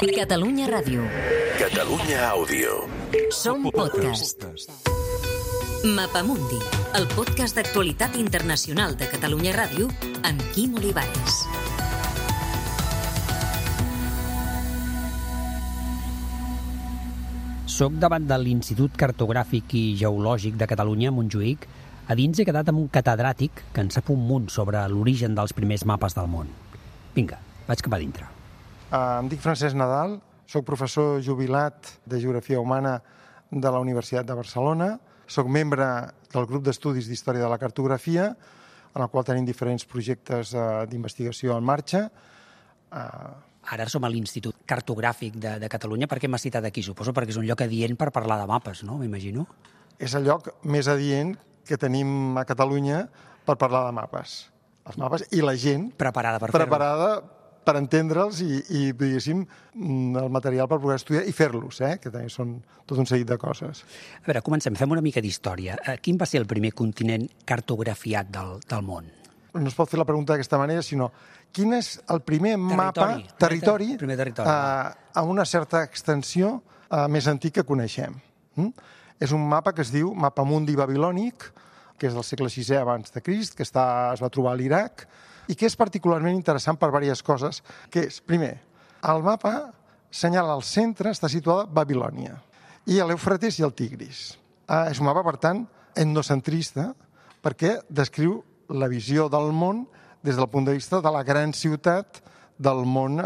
Catalunya Ràdio. Catalunya Àudio. Som podcast. Mapamundi, el podcast d'actualitat internacional de Catalunya Ràdio amb Quim Olivares. Soc davant de l'Institut Cartogràfic i Geològic de Catalunya, a Montjuïc. A dins he quedat amb un catedràtic que en sap un munt sobre l'origen dels primers mapes del món. Vinga, vaig cap a dintre. Em dic Francesc Nadal, soc professor jubilat de Geografia Humana de la Universitat de Barcelona. Soc membre del grup d'estudis d'Història de la Cartografia, en el qual tenim diferents projectes d'investigació en marxa. Ara som a l'Institut Cartogràfic de Catalunya. Per què m'has citat aquí? Suposo perquè és un lloc adient per parlar de mapes, no? M'imagino. És el lloc més adient que tenim a Catalunya per parlar de mapes. Els mapes i la gent Preparada per fer-ho. Per entendre'ls i diguéssim, el material per poder estudiar i fer-los, que també són tot un seguit de coses. A veure, comencem. Fem una mica d'història. Quin va ser el primer continent cartografiat del món? No es pot fer la pregunta d'aquesta manera, sinó quin és el primer territori a una certa extensió més antic que coneixem. És un mapa que es diu Mapamundi babilònic, que és del segle VI abans de Crist, que es va trobar a l'Iraq, i que és particularment interessant per diverses coses, que és, primer, el mapa senyala al centre, està situada Babilònia, i l'Eufrates i el Tigris. És un mapa, per tant, etnocentrista, perquè descriu la visió del món des del punt de vista de la gran ciutat del món,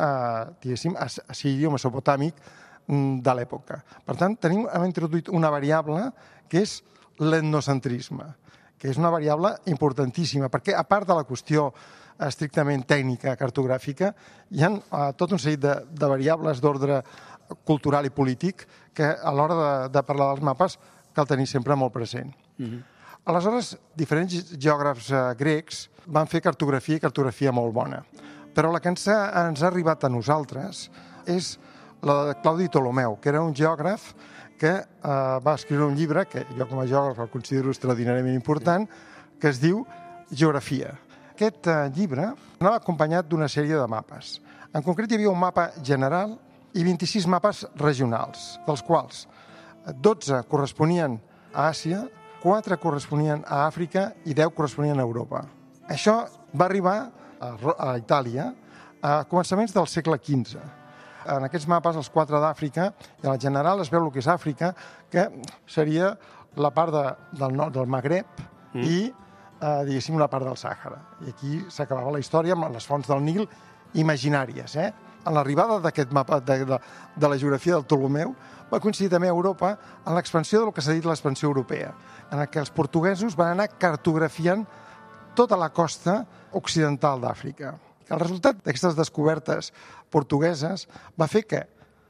diguéssim, assiri o mesopotàmic de l'època. Per tant, hem introduït una variable que és l'etnocentrisme, que és una variable importantíssima, perquè a part de la qüestió estrictament tècnica, cartogràfica, hi ha tot un seguit de variables d'ordre cultural i polític que a l'hora de parlar dels mapes cal tenir sempre molt present. Aleshores, diferents geògrafs grecs van fer cartografia i cartografia molt bona, però la que ens ha arribat a nosaltres és la de Claudi Ptolemeu, que era un geògraf que va escriure un llibre, que jo com a geògraf el considero extraordinàriament important, que es diu Geografia. Aquest llibre anava acompanyat d'una sèrie de mapes. En concret, hi havia un mapa general i 26 mapes regionals, dels quals 12 corresponien a Àsia, 4 corresponien a Àfrica i 10 corresponien a Europa. Això va arribar a Itàlia a començaments del segle XV. En aquests mapes, els 4 d'Àfrica, i en el general es veu el que és Àfrica, que seria la part del nord del Magreb i, diguéssim, una part del Sàhara. I aquí s'acabava la història amb les fonts del Nil imaginàries. En l'arribada d'aquest mapa de la geografia del Ptolemeu va coincidir també a Europa en l'expansió del que s'ha dit l'expansió europea, en què els portuguesos van anar cartografiant tota la costa occidental d'Àfrica. El resultat d'aquestes descobertes portugueses va fer que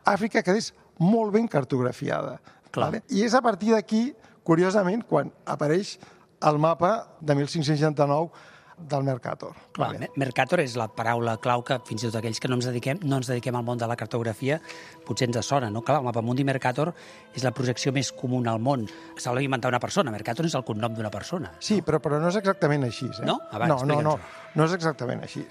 Àfrica quedés molt ben cartografiada. I és a partir d'aquí, curiosament, quan apareix el mapa de 1569 del Mercator. Mercator és la paraula clau que fins i tot aquells que no ens dediquem al món de la cartografia potser ens sona, no? Clar, el Mapamundi Mercator és la projecció més comuna al món. Se l'ha inventat una persona. Mercator és el cognom d'una persona. Sí, però no és exactament així. No? No és exactament així.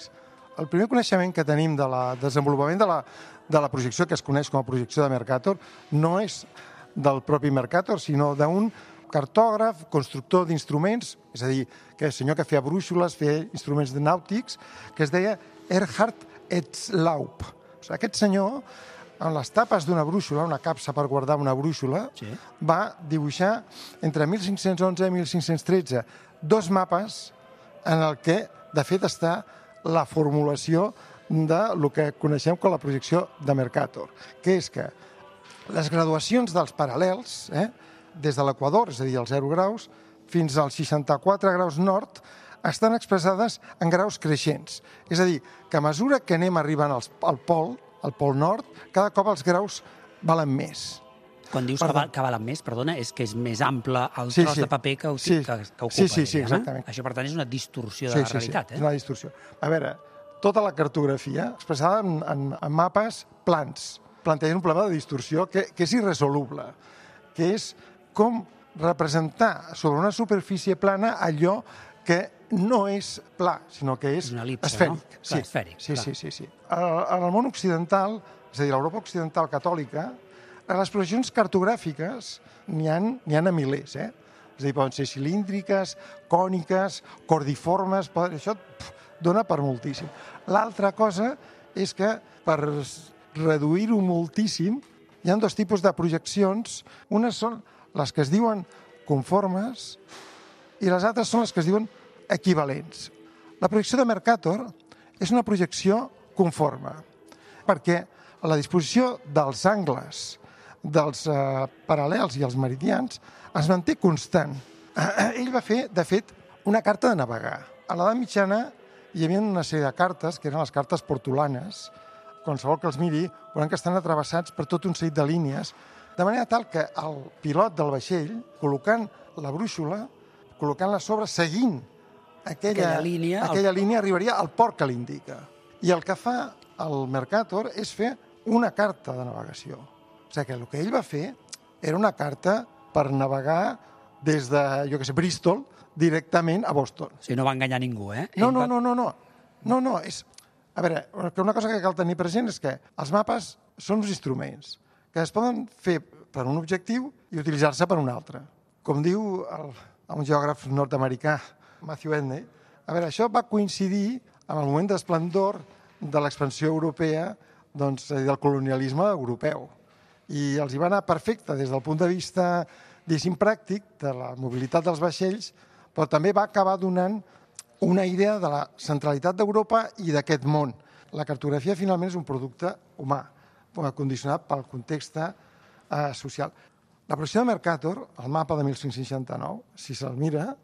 El primer coneixement que tenim del desenvolupament de la projecció, que es coneix com a projecció de Mercator, no és del propi Mercator, sinó d'un cartògraf, constructor d'instruments, és a dir, que el senyor que feia brúixoles, feia instruments nàutics, que es deia Erhard Etzlaub. Aquest senyor, en les tapes d'una brúixola, una capsa per guardar una brúixola, va dibuixar entre 1511 i 1513 2 mapes en el que, de fet, està la formulació del que coneixem com la projecció de Mercator, que és que les graduacions dels paral·lels, des de l'equador, és a dir, els 0 graus, fins als 64 graus nord, estan expressades en graus creixents. És a dir, que a mesura que anem arribant al pol nord, cada cop els graus valen més. Quan dius que valen més, perdona, és que és més ample el tros de paper que ocupa. Sí, exactament. Això, per tant, és una distorsió de la realitat. Sí, és una distorsió. A veure, tota la cartografia expressada en mapes plans planteja un problema de distorsió que és irresoluble, que és com representar sobre una superfície plana allò que no és pla, sinó que és esfèric. No? Esfèric. Sí. En el món occidental és a dir, l'Europa occidental catòlica, les projeccions cartogràfiques n'hi ha a milers, És a dir, poden ser cilíndriques, còniques, cordiformes, això dona per moltíssim. L'altra cosa és que, per reduir-ho moltíssim, hi ha dos tipus de projeccions. Unes són les que es diuen conformes i les altres són les que es diuen equivalents. La projecció de Mercator és una projecció conforme, perquè la disposició dels angles, dels paral·lels i els meridians es manté constant. Ell va fer, de fet, una carta de navegar. A l'edat mitjana hi havia una sèrie de cartes, que eren les cartes portolanes. Qualsevol que els miri veuran que estan atravessats per tot un seguit de línies, de manera tal que el pilot del vaixell, col·locant la brúixola, col·locant-la sobre, seguint aquella línia, arribaria al port que l'indica. I el que fa el Mercator és fer una carta de navegació. O sigui que el que ell va fer era una carta per navegar des de, Bristol, directament a Boston. O sigui, no va enganyar ningú, No. A veure, una cosa que cal tenir present és que els mapes són uns instruments que es poden fer per un objectiu i utilitzar-se per un altre. Com diu un geògraf nord-americà, Matthew Edney, a veure, això va coincidir amb el moment d'esplendor de l'expansió europea, del colonialisme europeu. I els hi va anar perfecte des del punt de vista, diguéssim, pràctic, de la mobilitat dels vaixells, però també va acabar donant una idea de la centralitat d'Europa i d'aquest món. La cartografia, finalment, és un producte humà, condicionat pel context social. La projecció de Mercator, el mapa de 1569, si se'l mira,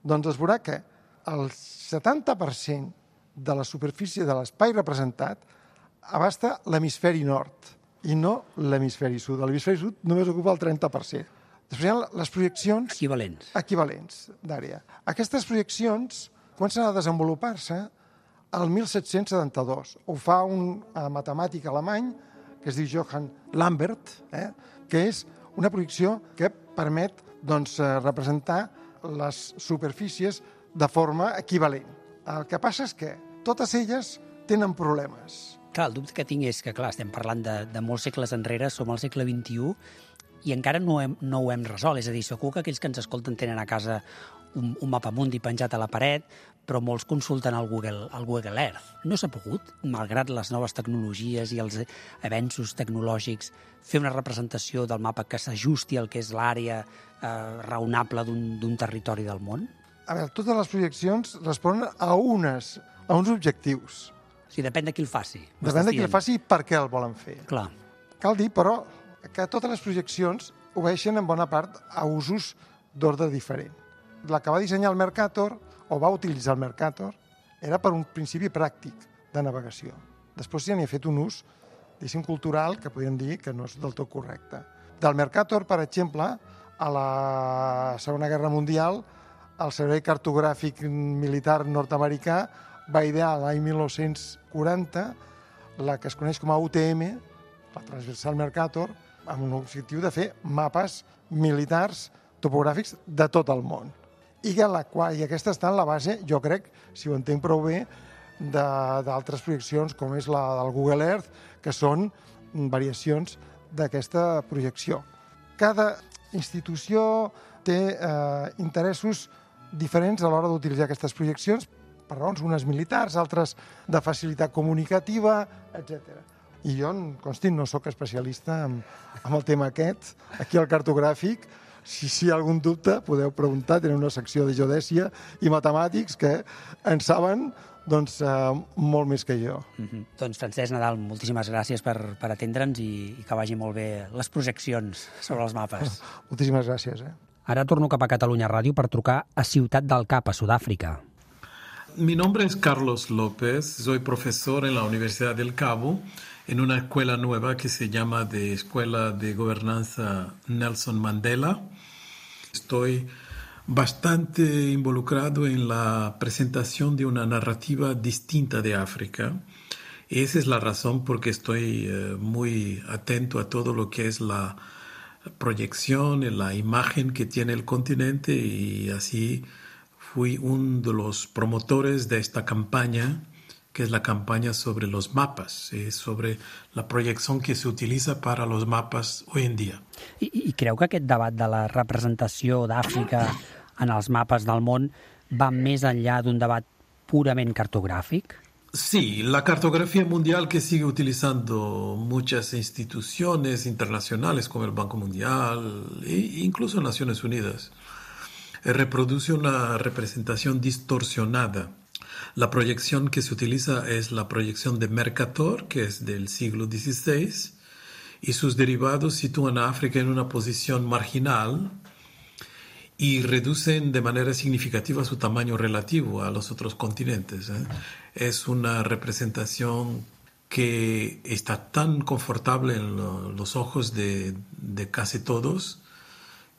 es veurà que el 70% de la superfície de l'espai representat abasta l'hemisferi nord i no l'hemisferi sud. L'hemisferi sud només ocupa el 30%. Després hi ha les projeccions equivalents d'àrea. Aquestes projeccions comencen a desenvolupar-se el 1772. Ho fa un matemàtic alemany que es diu Johann Lambert, que és una projecció que permet representar les superfícies de forma equivalent. El que passa és que totes elles tenen problemes. Clar, el dubte que tinc és que, estem parlant de molts segles enrere, som al segle XXI, i encara no ho hem resolt. És a dir, segur que aquells que ens escolten tenen a casa un mapamundi penjat a la paret, però molts consulten el Google Earth. No s'ha pogut, malgrat les noves tecnologies i els avenços tecnològics, fer una representació del mapa que s'ajusti al que és l'àrea raonable d'un territori del món? A veure, totes les projeccions responen a uns objectius. O sigui, depèn de qui el faci. Depèn de qui el faci i per què el volen fer. Clar. Cal dir, però, que totes les projeccions obeeixen en bona part a usos d'ordre diferent. La que va dissenyar el Mercator, o va utilitzar el Mercator, era per un principi pràctic de navegació. Després ja n'hi ha fet un ús, diguéssim, cultural, que podríem dir que no és del tot correcte. Del Mercator, per exemple, a la Segona Guerra Mundial, el Servei Cartogràfic Militar nord-americà va idear l'any 1940 la que es coneix com a UTM, la Transversal Mercator, amb un objectiu de fer mapes militars topogràfics de tot el món. I aquesta està en la base, jo crec, si ho entenc prou bé, d'altres projeccions, com és la del Google Earth, que són variacions d'aquesta projecció. Cada institució té interessos diferents a l'hora d'utilitzar aquestes projeccions, per raons unes militars, altres de facilitat comunicativa, etc. I jo, consti, no sóc especialista en el tema aquest, aquí al cartogràfic. Si hi ha algun dubte, podeu preguntar, tenen una secció de geodèsia i matemàtics que en saben molt més que jo. Doncs, Francesc Nadal, moltíssimes gràcies per atendre'ns i que vagi molt bé les projeccions sobre els mapes. Moltíssimes gràcies. Ara torno cap a Catalunya Ràdio per trucar a Ciutat del Cap, a Sudàfrica. Mi nombre es Carlos López, soy profesor en la Universidad del Cabo, en una escuela nueva que se llama de Escuela de Gobernanza Nelson Mandela. Estoy bastante involucrado en la presentación de una narrativa distinta de África. Esa es la razón por que estoy muy atento a todo lo que es la proyección, la imagen que tiene el continente, y así fui uno de los promotores de esta campaña que es la campaña sobre los mapas, sobre la proyección que se utiliza para los mapas hoy en día. I creu que aquest debat de la representació d'Àfrica en els mapes del món va més enllà d'un debat purament cartogràfic? Sí, la cartografía mundial que sigue utilizando muchas instituciones internacionales como el Banco Mundial e incluso Naciones Unidas reproduce una representación distorsionada. La proyección que se utiliza es la proyección de Mercator, que es del siglo XVI, y sus derivados sitúan a África en una posición marginal y reducen de manera significativa su tamaño relativo a los otros continentes. Es una representación que está tan confortable en los ojos de casi todos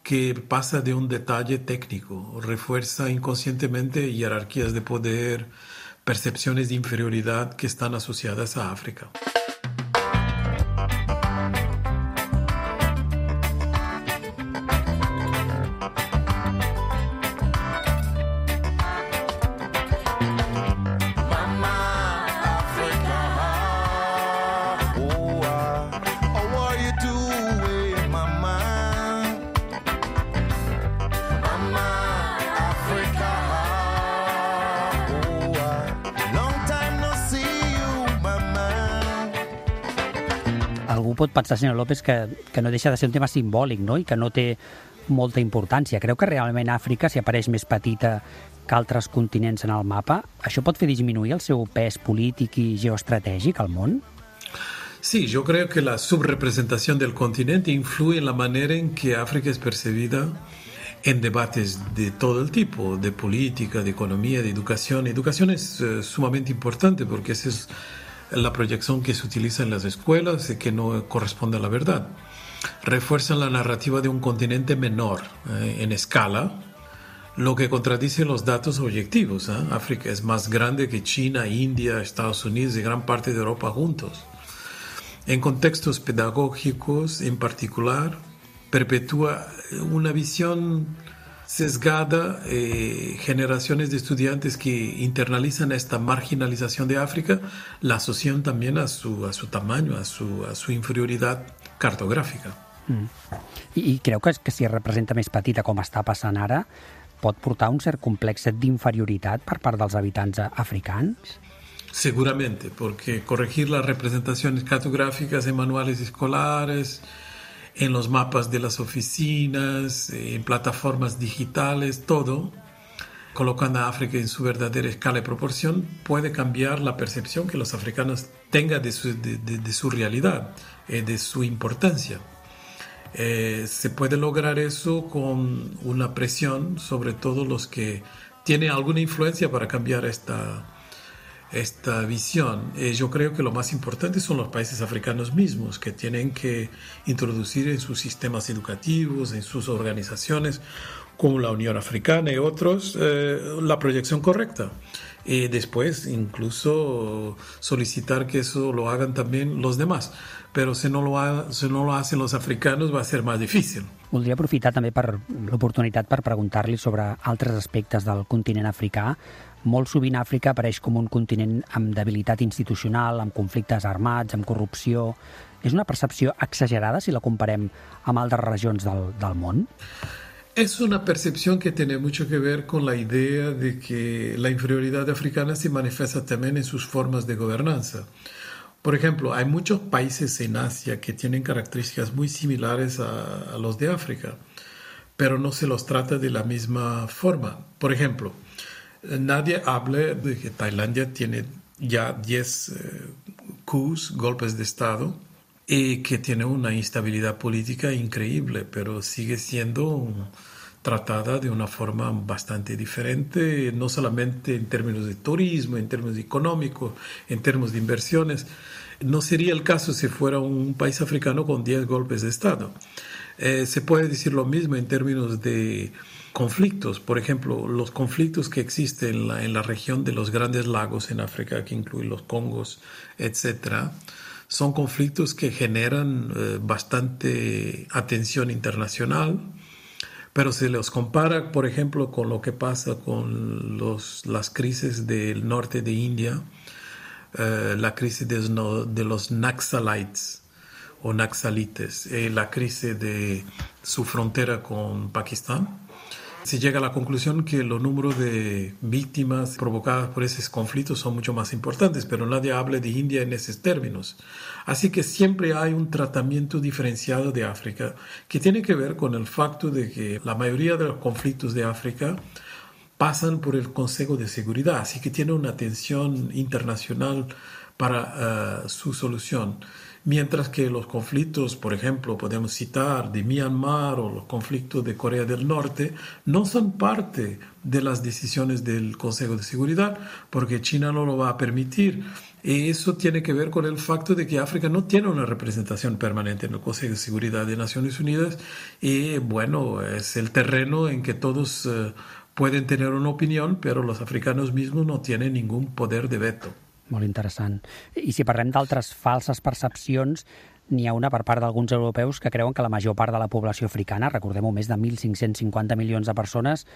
que pasa de un detalle técnico, refuerza inconscientemente jerarquías de poder, percepciones de inferioridad que están asociadas a África. Algú pot pensar, senyor López, que no deixa de ser un tema simbòlic, no? I que no té molta importància. Creu que realment Àfrica, si apareix més petita que altres continents en el mapa, això pot fer disminuir el seu pes polític i geoestratègic al món? Sí, yo creo que la subrepresentación del continente influye en la manera en que África es percibida en debates de todo el tipo, de política, de economía, de educación. Educación es sumamente importante porque esa es la proyección que se utiliza en las escuelas y que no corresponde a la verdad. Refuerzan la narrativa de un continente menor en escala, lo que contradice los datos objetivos. África es más grande que China, India, Estados Unidos y gran parte de Europa juntos. En contextos pedagógicos, en particular, perpetúa una visión sesgada, generaciones de estudiantes que internalizan esta marginalización de África, la asocian también a su tamaño, a su inferioridad cartográfica. I creu que si es representa més petita com està passant ara, pot portar un cert complex d'inferioritat per part dels habitants africans? Seguramente, porque corregir las representaciones cartográficas en manuales escolares, en los mapas de las oficinas, en plataformas digitales, todo, colocando a África en su verdadera escala y proporción, puede cambiar la percepción que los africanos tengan de su realidad, de su importancia. Se puede lograr eso con una presión sobre todos los que tienen alguna influencia para cambiar esta visión. Yo creo que lo más importante son los países africanos mismos, que tienen que introducir en sus sistemas educativos, en sus organizaciones, como la Unión Africana y otros, la proyección correcta. Y después incluso solicitar que eso lo hagan también los demás. Però si no lo hacen los africanos va a ser más difícil. Voldria aprofitar també per l'oportunitat per preguntar-li sobre altres aspectes del continent africà. Molt sovint Àfrica apareix com un continent amb debilitat institucional, amb conflictes armats, amb corrupció. És una percepció exagerada si la comparem amb altres regions del món? Es una percepción que tiene mucho que ver con la idea de que la inferioridad africana se manifiesta también en sus formas de gobernanza. Por ejemplo, hay muchos países en Asia que tienen características muy similares a los de África, pero no se los trata de la misma forma. Por ejemplo, nadie habla de que Tailandia tiene ya 10 coups, golpes de Estado, y que tiene una instabilidad política increíble, pero sigue siendo tratada de una forma bastante diferente, no solamente en términos de turismo, en términos económicos, en términos de inversiones. No sería el caso si fuera un país africano con 10 golpes de Estado. Se puede decir lo mismo en términos de conflictos. Por ejemplo, los conflictos que existen en la región de los Grandes Lagos en África, que incluyen los Congos, etc., son conflictos que generan bastante atención internacional, pero se los compara, por ejemplo, con lo que pasa con las crisis del norte de India, la crisis de los Naxalites o Naxalites, la crisis de su frontera con Pakistán. Se llega a la conclusión que los números de víctimas provocadas por esos conflictos son mucho más importantes, pero nadie habla de India en esos términos. Así que siempre hay un tratamiento diferenciado de África que tiene que ver con el facto de que la mayoría de los conflictos de África pasan por el Consejo de Seguridad, así que tiene una atención internacional para su solución. Mientras que los conflictos, por ejemplo, podemos citar de Myanmar o los conflictos de Corea del Norte, no son parte de las decisiones del Consejo de Seguridad porque China no lo va a permitir. Y eso tiene que ver con el facto de que África no tiene una representación permanente en el Consejo de Seguridad de Naciones Unidas y, bueno, es el terreno en que todos pueden tener una opinión, pero los africanos mismos no tienen ningún poder de veto. Molt interessant. I si parlem d'altres falses percepcions, n'hi ha una per part d'alguns europeus que creuen que la major part de la població africana, recordem-ho, més de 1.550 milions de persones,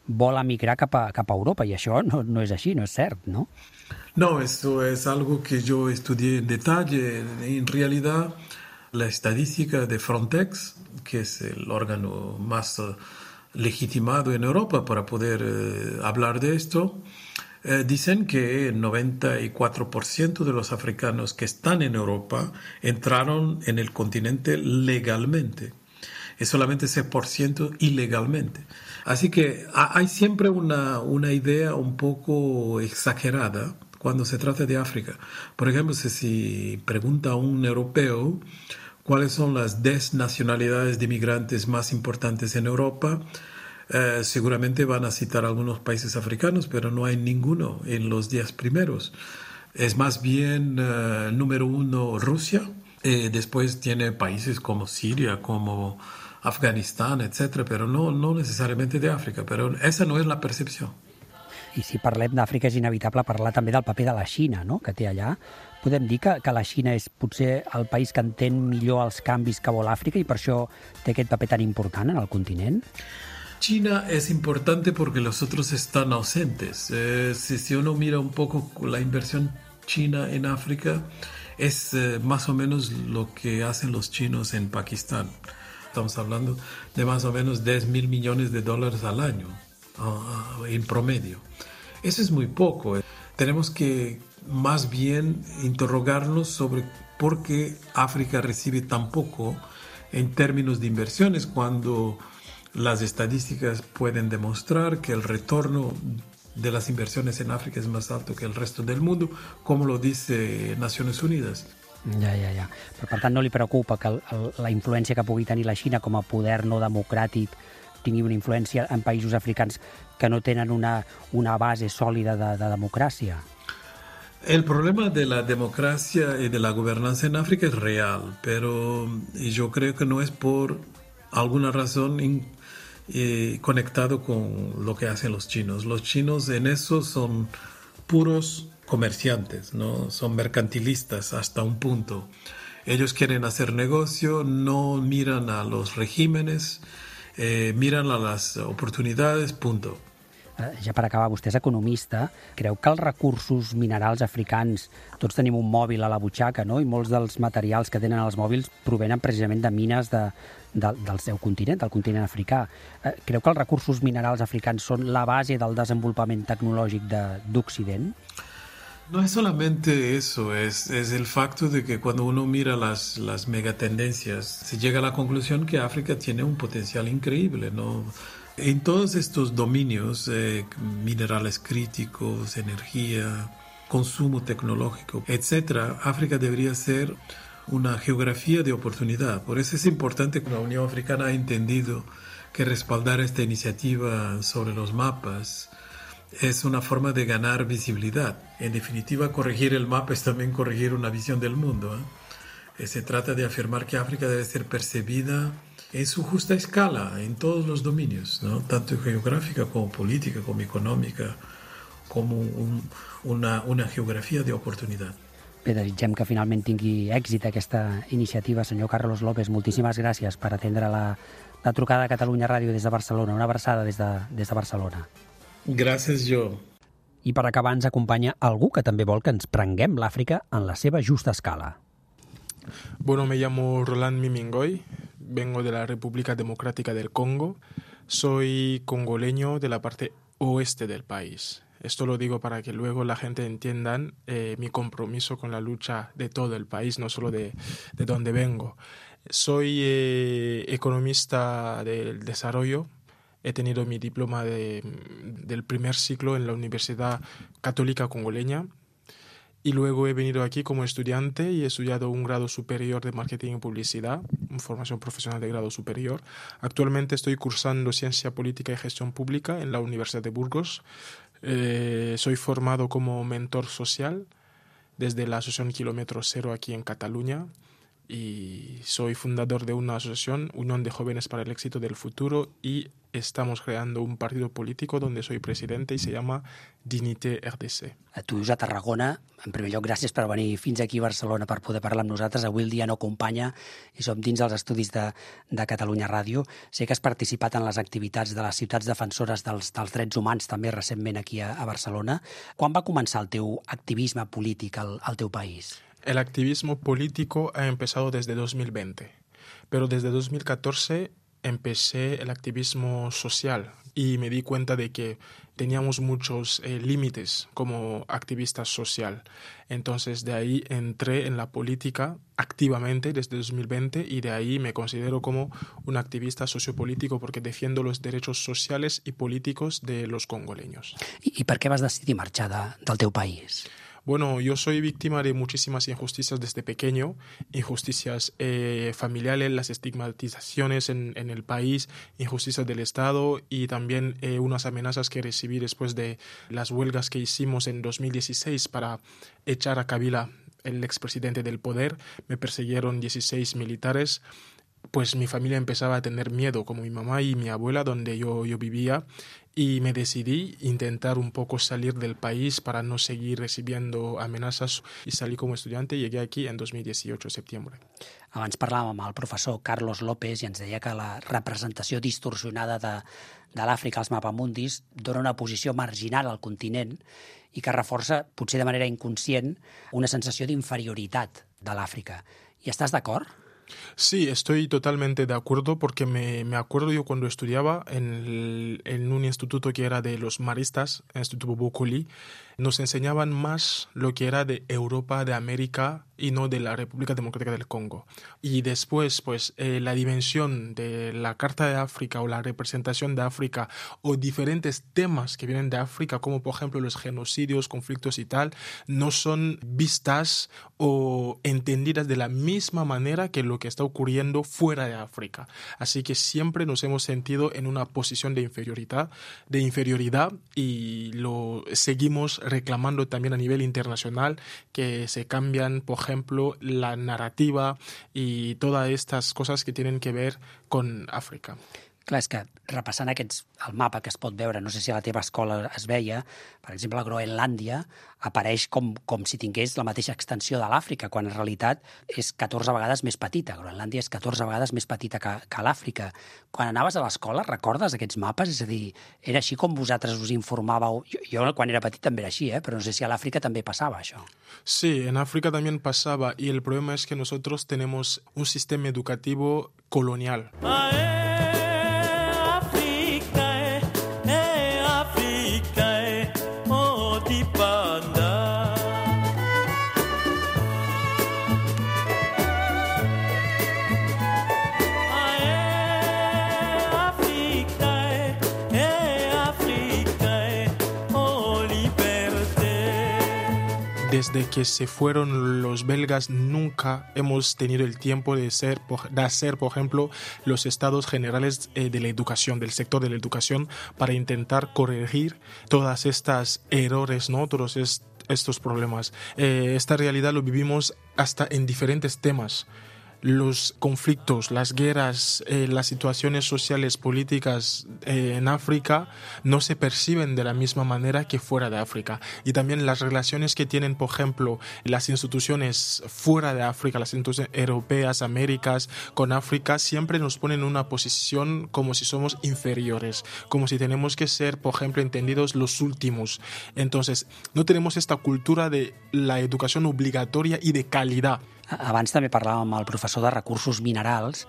vol emigrar cap a Europa, i això no és així, no és cert, ¿no? No, esto es algo que yo estudié en detalle. En realidad, la estadística de Frontex, que es el órgano más legitimado en Europa para poder hablar de esto, dicen que el 94% de los africanos que están en Europa entraron en el continente legalmente. Es solamente 6% ilegalmente. Así que hay siempre una idea un poco exagerada cuando se trata de África. Por ejemplo, si pregunta a un europeo cuáles son las 10 nacionalidades de inmigrantes más importantes en Europa, seguramente van a citar algunos países africanos, pero no hay ninguno en los 10 primeros. Es más bien número 1 Rusia, después tiene países como Siria, como Afganistán, etc., pero no necesariamente de África, pero esa no es la percepción. I si parlem d'Àfrica és inevitable parlar també del paper de la Xina, no?, que té allà. Podem dir que la Xina és potser el país que entén millor els canvis que vol Àfrica i per això té aquest paper tan important en el continent? China es importante porque los otros están ausentes. Si uno mira un poco la inversión china en África, es más o menos lo que hacen los chinos en Pakistán. Estamos hablando de más o menos 10.000 millones de dólares al año, en promedio. Eso es muy poco. Tenemos que más bien interrogarnos sobre por qué África recibe tan poco en términos de inversiones cuando las estadísticas pueden demostrar que el retorno de las inversiones en África es más alto que el resto del mundo, como lo dice Naciones Unidas. Ja. Però, per tant, no li preocupa que la influència que pugui tenir la Xina com a poder no democràtic tingui una influència en països africans que no tenen una base sòlida de democràcia? El problema de la democracia y de la gobernanza en África es real, pero yo creo que no es por alguna razón conectado con lo que hacen los chinos. Los chinos en eso son puros comerciantes, ¿no? Son mercantilistas hasta un punto. Ellos quieren hacer negocio, no miran a los regímenes, miran a las oportunidades, punto. Ja per acabar, vostè és economista, creu que els recursos minerals africans, tots tenim un mòbil a la butxaca, no?, i molts dels materials que tenen els mòbils provenen precisament de mines del seu continent, del continent africà. Creu que els recursos minerals africans són la base del desenvolupament tecnològic d'Occident? No es solamente eso, es el facto de que cuando uno mira las megatendencias, se llega a la conclusión que África tiene un potencial increíble, ¿no? En todos estos dominios, minerales críticos, energía, consumo tecnológico, etc., África debería ser una geografía de oportunidad. Por eso es importante que la Unión Africana ha entendido que respaldar esta iniciativa sobre los mapas es una forma de ganar visibilidad. En definitiva, corregir el mapa es también corregir una visión del mundo, ¿eh? Se trata de afirmar que África debe ser percibida en su justa escala, en todos los dominios, ¿no?, tanto geográfica como política, como econòmica, com una geografia d'oportunitat. Bé, desitgem que finalment tingui èxit aquesta iniciativa. Senyor Carlos López, moltíssimes gràcies per atendre la trucada de Catalunya Ràdio des de Barcelona. Una abraçada des de Barcelona. Gràcies, jo. I per acabar ens acompanya algú que també vol que ens prenguem l'Àfrica en la seva justa escala. Bueno, me llamo Roland Mimingoy, vengo de la República Democrática del Congo, soy congoleño de la parte oeste del país. Esto lo digo para que luego la gente entienda mi compromiso con la lucha de todo el país, no solo de donde vengo. Soy economista del desarrollo. He tenido mi diploma del primer ciclo en la Universidad Católica Congoleña y luego he venido aquí como estudiante y he estudiado un grado superior de Marketing y Publicidad, una formación profesional de grado superior. Actualmente estoy cursando Ciencia Política y Gestión Pública en la Universidad de Burgos. Soy formado como mentor social desde la Asociación Kilómetro Cero aquí en Cataluña y soy fundador de una asociación, Unión de Jóvenes para el Éxito del Futuro, y estamos creando un partido político donde soy presidente y se llama Dignité RDC. Tu vius a Tarragona. En primer lloc, gràcies per venir fins aquí a Barcelona per poder parlar amb nosaltres. Avui el dia no acompanya i som dins dels estudis de Catalunya Ràdio. Sé que has participat en les activitats de les ciutats defensores dels drets humans també recentment aquí a Barcelona. Quan va començar el teu activisme polític al teu país? El activismo político ha empezado desde 2020, pero desde 2014 empecé el activismo social y me di cuenta de que teníamos muchos límites como activista social. Entonces de ahí entré en la política activamente desde 2020 y de ahí me considero como un activista sociopolítico porque defiendo los derechos sociales y políticos de los congoleños. I per què vas decidir marxar del teu país? Bueno, yo soy víctima de muchísimas injusticias desde pequeño, injusticias familiares, las estigmatizaciones en el país, injusticias del Estado y también unas amenazas que recibí después de las huelgas que hicimos en 2016 para echar a Kabila, el expresidente, del poder. Me persiguieron 16 militares. Pues mi familia empezaba a tener miedo, como mi mamá y mi abuela, donde yo vivía, y me decidí intentar un poco salir del país para no seguir recibiendo amenazas y salí como estudiante y llegué aquí en 2018, septiembre. Abans parlàvem amb el professor Carlos López i ens deia que la representació distorsionada de l'Àfrica als mapamundis dona una posició marginal al continent i que reforça, potser de manera inconscient, una sensació d'inferioritat de l'Àfrica. I estàs d'acord? Sí, estoy totalmente de acuerdo porque me acuerdo yo cuando estudiaba en un instituto que era de los maristas, el Instituto Bokoli, nos enseñaban más lo que era de Europa, de América y no de la República Democrática del Congo. Y después, pues, la dimensión de la Carta de África o la representación de África o diferentes temas que vienen de África, como por ejemplo los genocidios, conflictos y tal, no son vistas o entendidas de la misma manera que lo que está ocurriendo fuera de África. Así que siempre nos hemos sentido en una posición de inferioridad y lo seguimos reclamando también a nivel internacional, que se cambian, por ejemplo, la narrativa y todas estas cosas que tienen que ver con Àfrica. Clar, és que repassant el mapa que es pot veure, no sé si a la teva escola es veia, per exemple, la Groenlàndia apareix com si tingués la mateixa extensió de l'Àfrica, quan en realitat és 14 vegades més petita. Groenlàndia és 14 vegades més petita que l'Àfrica. Quan anaves a l'escola, recordes aquests mapes? És a dir, era així com vosaltres us informàveu? Jo quan era petit també era així, però no sé si a l'Àfrica també passava això. Sí, en África también pasaba y el problema es que nosotros tenemos un sistema educativo colonial. Desde que se fueron los belgas nunca hemos tenido el tiempo de hacer, por ejemplo, los estados generales de la educación, del sector de la educación, para intentar corregir todas estas errores, ¿no? Todos estos problemas. Esta realidad lo vivimos hasta en diferentes temas. los conflictos, las guerras, las situaciones sociales, políticas en África no se perciben de la misma manera que fuera de África. Y también las relaciones que tienen, por ejemplo, las instituciones fuera de África, las instituciones europeas, Américas, con África, siempre nos ponen en una posición como si somos inferiores, como si tenemos que ser, por ejemplo, entendidos los últimos. Entonces, no tenemos esta cultura de la educación obligatoria y de calidad. Abans també parlàvem amb el professor de recursos minerals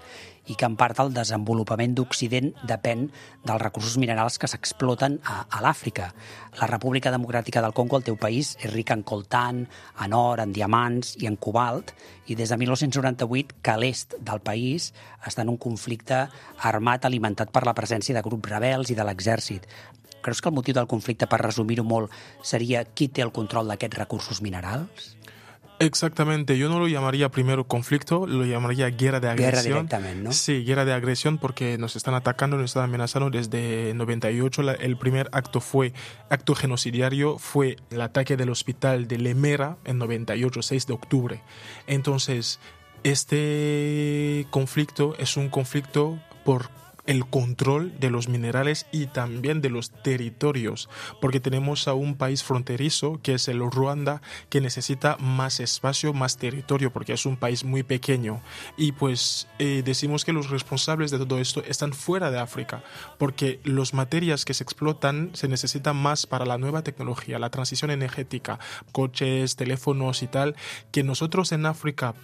i que en part el desenvolupament d'Occident depèn dels recursos minerals que s'exploten a l'Àfrica. La República Democràtica del Congo, el teu país, és rica en coltan, en or, en diamants i en cobalt, i des de 1998 que l'est del país està en un conflicte armat alimentat per la presència de grups rebels i de l'exèrcit. Creus que el motiu del conflicte, per resumir-ho molt, seria qui té el control d'aquests recursos minerals? Exactamente, yo no lo llamaría primero conflicto, lo llamaría guerra de agresión. Guerra directamente, ¿no? Sí, guerra de agresión porque nos están atacando, nos están amenazando desde 98. El primer acto genocidario fue el ataque del hospital de Lemera en 98, 6 de octubre. Entonces, este conflicto es un conflicto por el control de los minerales y también de los territorios, porque tenemos a un país fronterizo que es el Ruanda, que necesita más espacio, más territorio, porque es un país muy pequeño. Y pues decimos que los responsables de todo esto están fuera de África, porque las materias que se explotan se necesitan más para la nueva tecnología, la transición energética, coches, teléfonos y tal, que nosotros en África,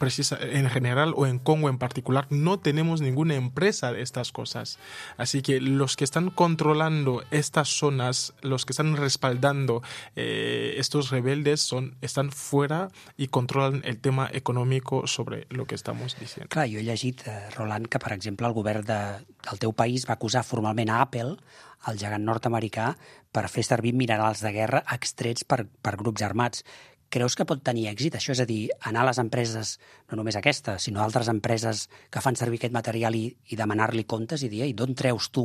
en general o en Congo en particular, no tenemos ninguna empresa de estas cosas. Así que los que están controlando estas zonas, los que están respaldando estos rebeldes están fuera y controlan el tema económico sobre lo que estamos diciendo. Clar, jo he llegit, Roland, que per exemple el govern del teu país va acusar formalment a Apple, el gegant nord-americà, per fer servir minerals de guerra extrets per grups armats. Creus que pot tenir èxit això? És a dir, anar a les empreses, no només aquesta, sinó altres empreses que fan servir aquest material i demanar-li comptes i dir, ei, d'on treus tu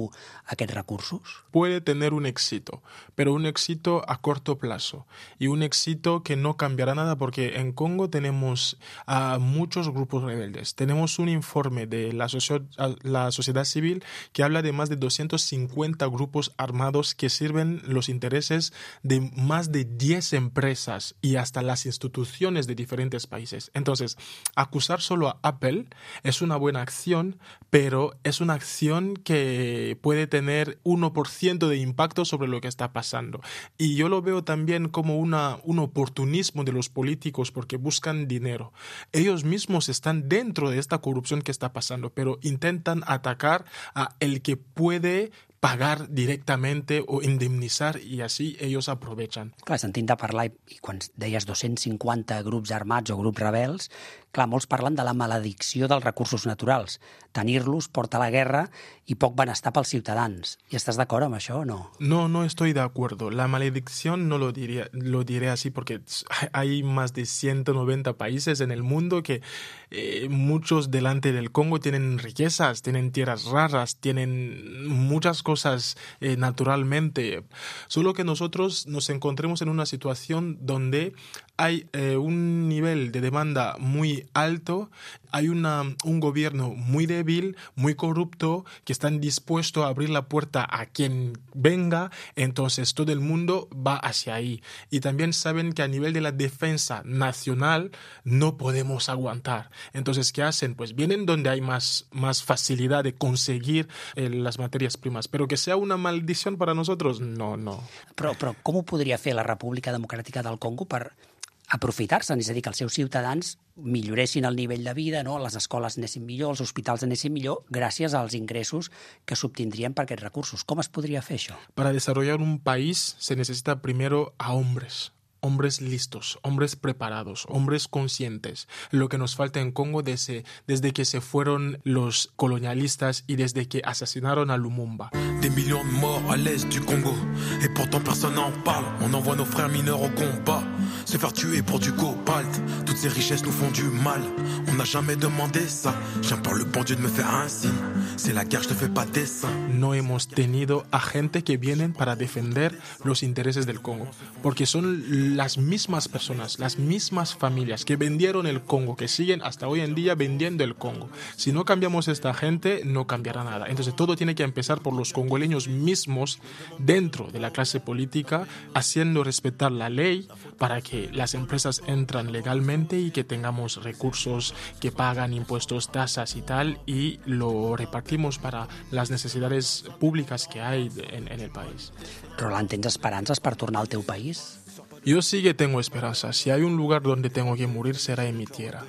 aquests recursos? Puede tener un éxito, pero un éxito a corto plazo y un éxito que no cambiará nada porque en Congo tenemos a muchos grupos rebeldes. Tenemos un informe de la sociedad civil que habla de más de 250 grupos armados que sirven los intereses de más de 10 empresas y hasta las instituciones de diferentes países. Entonces, acusar solo a Apple es una buena acción, pero es una acción que puede tener 1% de impacto sobre lo que está pasando. Y yo lo veo también como un oportunismo de los políticos porque buscan dinero. Ellos mismos están dentro de esta corrupción que está pasando, pero intentan atacar a el que puede pagar directamente o indemnitzar i així ells aprovechen. Clar, sentint de parlar, i quan deies 250 grups armats o grups rebels, clar, molts parlen de la maledicció dels recursos naturals. Tenir-los porta a la guerra i poc benestar pels ciutadans. I estàs d'acord amb això o no? No estoy de acuerdo. La maledicción no lo diré así porque hay más de 190 países en el mundo que muchos delante del Congo tienen riquezas, tienen tierras raras, tienen muchas cosas naturalmente. Solo que nosotros nos encontremos en una situación donde hay un nivel de demanda muy alto, hay un gobierno muy débil, muy corrupto, que están dispuestos a abrir la puerta a quien venga, entonces todo el mundo va hacia ahí. Y también saben que a nivel de la defensa nacional no podemos aguantar. Entonces, ¿qué hacen? Pues vienen donde hay más facilidad de conseguir las materias primas. Però que sea una maldició per a nosaltres, no. Però com ho podria fer la República Democràtica del Congo per aprofitar-se'n? És a dir, que els seus ciutadans milloressin el nivell de vida, no? Les escoles anessin millor, els hospitals anessin millor, gràcies als ingressos que s'obtindrien per aquests recursos. Com es podria fer això? Para desarrollar un país se necesita primero a hombres listos, hombres preparados, hombres conscientes. Lo que nos falta en Congo desde que se fueron los colonialistas y desde que asesinaron a Lumumba. Des millions de morts à l'est du Congo et pourtant personne n'en parle. On envoie nos frères mineurs au combat. se faire tuer pour du cobalt. Toutes ces richesses nous font du mal. On n'a jamais demandé ça. J'implore le bon Dieu de me faire un signe. C'est la guerre, je te fais pas dessin. No hemos tenido a gente que vienen para defender los intereses del Congo, porque son las mismas personas, las mismas familias que vendieron el Congo, que siguen hasta hoy en día vendiendo el Congo. Si no cambiamos esta gente, no cambiará nada. Entonces todo tiene que empezar por los congoleños mismos dentro de la clase política, haciendo respetar la ley para que las empresas entran legalmente y que tengamos recursos que pagan impuestos, tasas y tal, y lo repartimos para las necesidades públicas que hay en el país. Roland, ¿tens esperances per tornar al teu país? Yo sí que tengo esperanza. Si hay un lugar donde tengo que morir, será en mi tierra.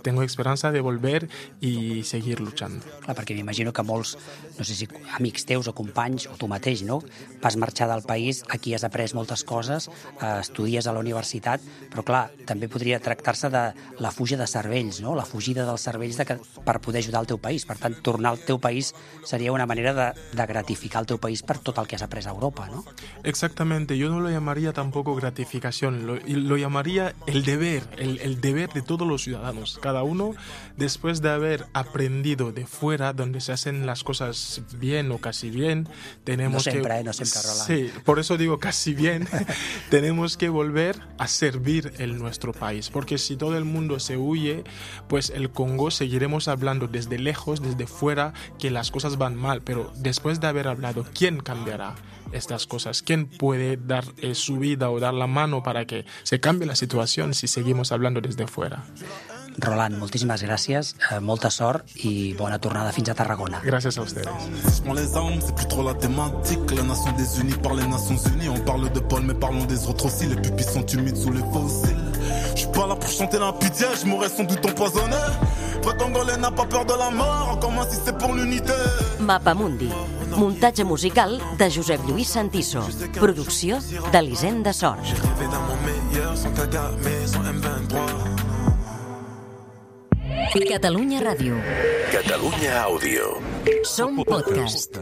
Tengo esperança de volver i seguir luchando. Clar, perquè m'imagino que molts, no sé si amics teus o companys, o tu mateix, no? Vas marxar del país, aquí has après moltes coses, estudies a la universitat, però clar, també podria tractar-se de la fuga de cervells, no? La fugida dels cervells per poder ajudar el teu país. Per tant, tornar al teu país seria una manera de gratificar el teu país per tot el que has après a Europa, ¿no? Exactamente, yo no lo llamaría tampoco gratificación, lo llamaría el deber, el deber de todos los ciudadanos. Cada uno, después de haber aprendido de fuera, donde se hacen las cosas bien o casi bien, tenemos no siempre, Roland. Sí, por eso digo casi bien, tenemos que volver a servir en nuestro país, porque si todo el mundo se huye, pues el Congo seguiremos hablando desde lejos, desde fuera, que las cosas van mal, pero después de haber hablado, ¿quién cambiará estas cosas? ¿Quién puede dar su vida o dar la mano para que se cambie la situación si seguimos hablando desde fuera? Roland, moltíssimes gràcies, molta sort i bona tornada fins a Tarragona. Gràcies a ustedes. Les armes, c'est plus trop la thématique. La nation des unis par les Nations Unies. On parle de Paul, mais parlons des autres aussi. Les pupilles sont humides sous les fossiles. Je suis pas là pour chanter la pitié, je m'aurais sans doute empoisonné. Vrai Congolais n'a pas peur de la mort, encore moins si c'est pour l'unité. Mapamundi, muntatge musical de Josep Lluís Santiso. Producció d'Elisenda Sort. J'ai rêvé d'un monde meilleur, sans Kagame, sans M23. Catalunya Ràdio. Catalunya Àudio. Som podcast.